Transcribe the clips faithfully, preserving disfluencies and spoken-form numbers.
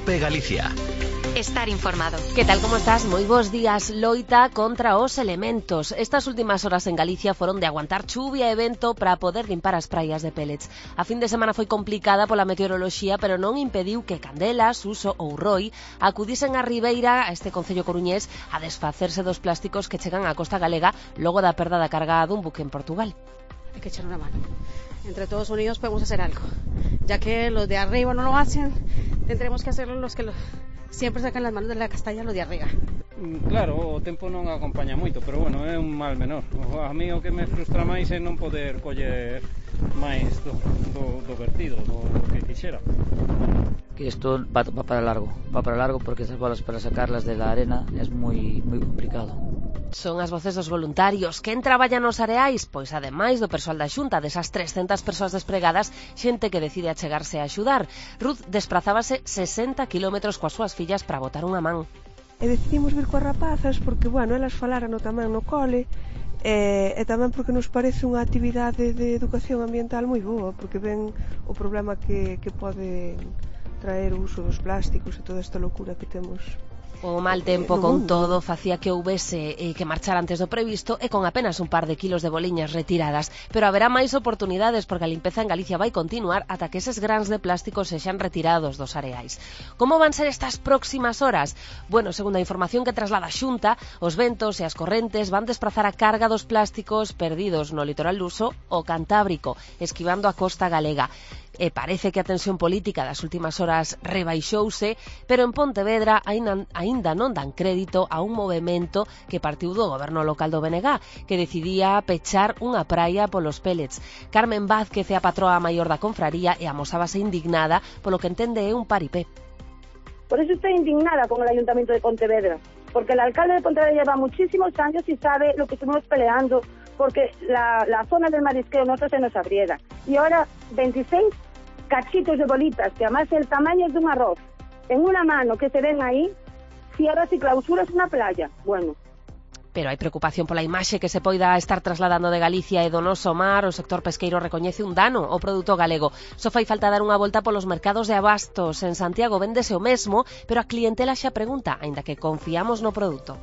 COPE Galicia. Estar informado. Que tal, como estás? Moi bons días. Loita contra os elementos. Estas últimas horas en Galicia foron de aguantar chuvia e vento para poder limpar as praias de pellets. A fin de semana foi complicada pola meteoroloxía, pero non impediu que Candelas, Uso ou Roi acudisen á Ribeira, a este concello coruñés, a desfacerse dos plásticos que chegan á costa galega logo da perda da carga dun buque en Portugal. Hay que echar una mano. Entre todos unidos podemos hacer algo. Ya que los de arriba no lo hacen, tendremos que hacerlo los que lo... siempre sacan las manos de la castalla, los de arriba. Claro, o tempo non acompaña moito, pero bueno, é un mal menor. A mí o que me frustra máis é non poder coller máis do, do, do vertido, do, do que quixera. Que isto va, va para largo, va para largo porque esas bolas para sacarlas de la arena é moi moi complicado. Son as voces dos voluntarios. Quen traballa nos areais? Pois ademais do persoal da Xunta, desas trescentas persoas despregadas, xente que decide achegarse a axudar. Ruth desprazábase sesenta kilómetros coas súas fillas para botar unha man. E decidimos vir coas rapazas porque, bueno, elas falaran tamén no cole e, e tamén porque nos parece unha actividade de educación ambiental moi boa, porque ven o problema que, que pode traer o uso dos plásticos e toda esta locura que temos. O mal tempo, con todo, facía que houbese eh, que marchar antes do previsto e con apenas un par de kilos de boliñas retiradas. Pero haberá máis oportunidades porque a limpeza en Galicia vai continuar ata que eses grans de plástico sexan retirados dos areais. Como van ser estas próximas horas? Bueno, segundo a información que traslada a Xunta, os ventos e as correntes van desprazar a carga dos plásticos perdidos no litoral luso o cantábrico, esquivando a costa galega. E parece que a tensión política das últimas horas rebaixouse, pero en Pontevedra aínda, aínda non dan crédito a un movemento que partiu do goberno local do B N G, que decidía pechar unha praia polos pellets. Carmen Vázquez é a patroa maior da confraría e amosábase indignada polo que entende é un paripé. Por eso estoy indignada con el Ayuntamiento de Pontevedra, porque el alcalde de Pontevedra lleva muchísimos años y sabe lo que estuvimos peleando, porque la, la zona del marisqueo nosotros se nos abriera. Y ahora veintiséis cachitos de bolitas, que además el tamaño es de un arroz, en una mano que se ven ahí, cierras y clausuras una playa. Bueno. Pero hai preocupación pola imaxe que se poida estar trasladando de Galicia e do noso mar. O sector pesqueiro recoñece un dano ao produto galego. Só fai falta dar unha volta polos mercados de abastos. En Santiago véndese o mesmo, pero a clientela xa pregunta, aínda que confiamos no produto.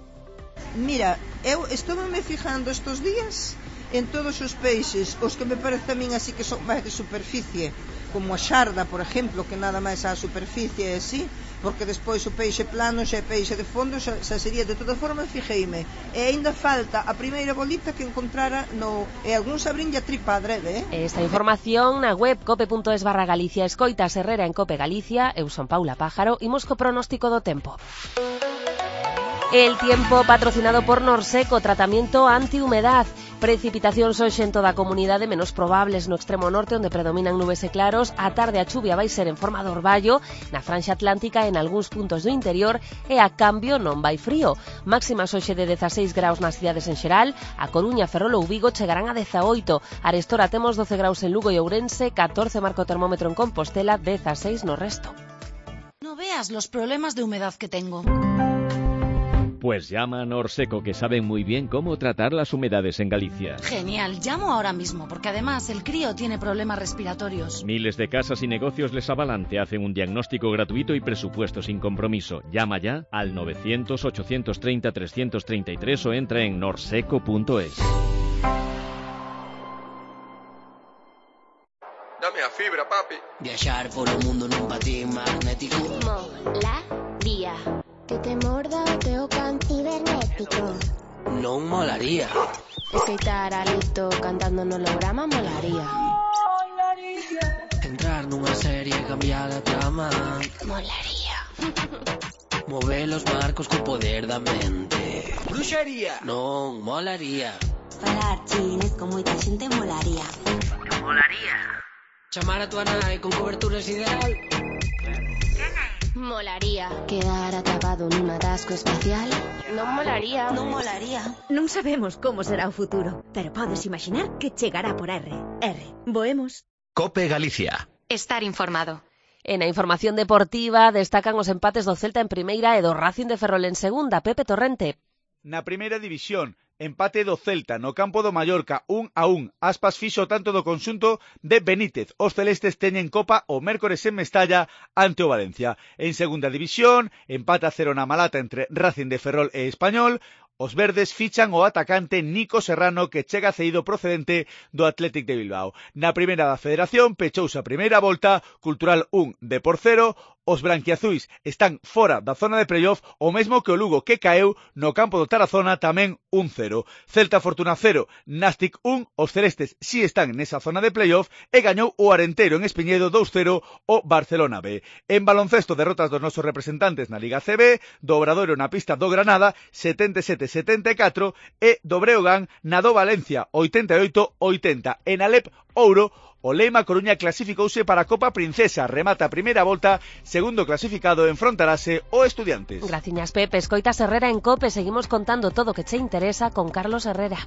Mira, eu estou me fijando estes días en todos os peixes, os que me parece a min así que son máis de superficie, como a xarda, por exemplo, que nada máis a superficie é así, porque despois o peixe plano xa é peixe de fondo, xa, xa sería de toda forma. Fijeime, e aínda falta a primeira bolita que encontrara no, e algún sabrín a tripa adrede, eh? Esta información na web cope punto es barra Galicia. Escoitas Herrera en Cope Galicia. Eu son Paula Pájaro. Imos co pronóstico do tempo. El tiempo patrocinado por Norseco, tratamiento antihumedad. Precipitacións hoxe en toda a comunidade, menos probables no extremo norte, onde predominan nubes e claros. A tarde a chuvia vai ser en forma de orballo na franxa atlántica e en algúns puntos do interior, e a cambio non vai frío. Máximas hoxe de dezaseis graus nas cidades en xeral. A Coruña, Ferrol ou Vigo chegarán a dezaoito. Arestora temos doce graus en Lugo e Ourense, catorce marco termómetro en Compostela, dezaseis no resto. No veas los problemas de humedad que tengo. Pues llama a Norseco, que saben muy bien cómo tratar las humedades en Galicia. Genial, llamo ahora mismo, porque además el crío tiene problemas respiratorios. Miles de casas y negocios les avalan, te hacen un diagnóstico gratuito y presupuesto sin compromiso. Llama ya al novecientos, ochocientos treinta, trescientos treinta y tres o entra en norseco punto es. Dame a fibra, papi. Viajar por el mundo nun patín magnético. Molaría. Que te morda o teu can cibernético. Non molaría. Escoitar a Lito cantando no holograma molaría. Entrar nunha serie e cambiar a trama molaría. Mover os marcos co poder da mente. Bruxería. Non molaría. Falar chinés con moita xente molaría. Molaría. Chamar a tua nai con cobertura sideral. Molaría. Quedar atrapado nun atasco espacial. Non molaría. Non molaría. Non sabemos como será o futuro, pero podes imaginar que chegará por R. R. Voemos. COPE Galicia. Estar informado. En a información deportiva destacan os empates do Celta en primeira e do Racing de Ferrol en segunda. Pepe Torrente. Na primeira división, empate do Celta no campo do Mallorca, un a un. Aspas fixo tanto do conxunto de Benítez. Os celestes teñen Copa o mércores en Mestalla ante o Valencia. En segunda división, empate a cero na Malata entre Racing de Ferrol e Español. Os verdes fichan o atacante Nico Serrano, que chega cedido procedente do Athletic de Bilbao. Na primeira da Federación pechouse a primeira volta, Cultural un, Depor cero. Os branquiazuis están fora da zona de playoff, o mesmo que o Lugo, que caeu no campo do Tarazona tamén un cero. Celta Fortuna cero, Nastic un. Os celestes si están nesa zona de playoff e gañou o Arenteiro en Espiñedo dous cero o Barcelona B. En baloncesto, derrotas dos nosos representantes na Liga C B, do Obradoiro na pista do Granada setenta e sete a setenta e catro e do Breogán na do Valencia oitenta e oito a oitenta. En Alep Ouro, o Lema Coruña clasificouse para a Copa Princesa. Remata a primeira volta, segundo clasificado enfrontarase o Estudiantes. Graciñas, Pepe. Escoitas Herrera en COPE. Seguimos contando todo o que che interesa con Carlos Herrera.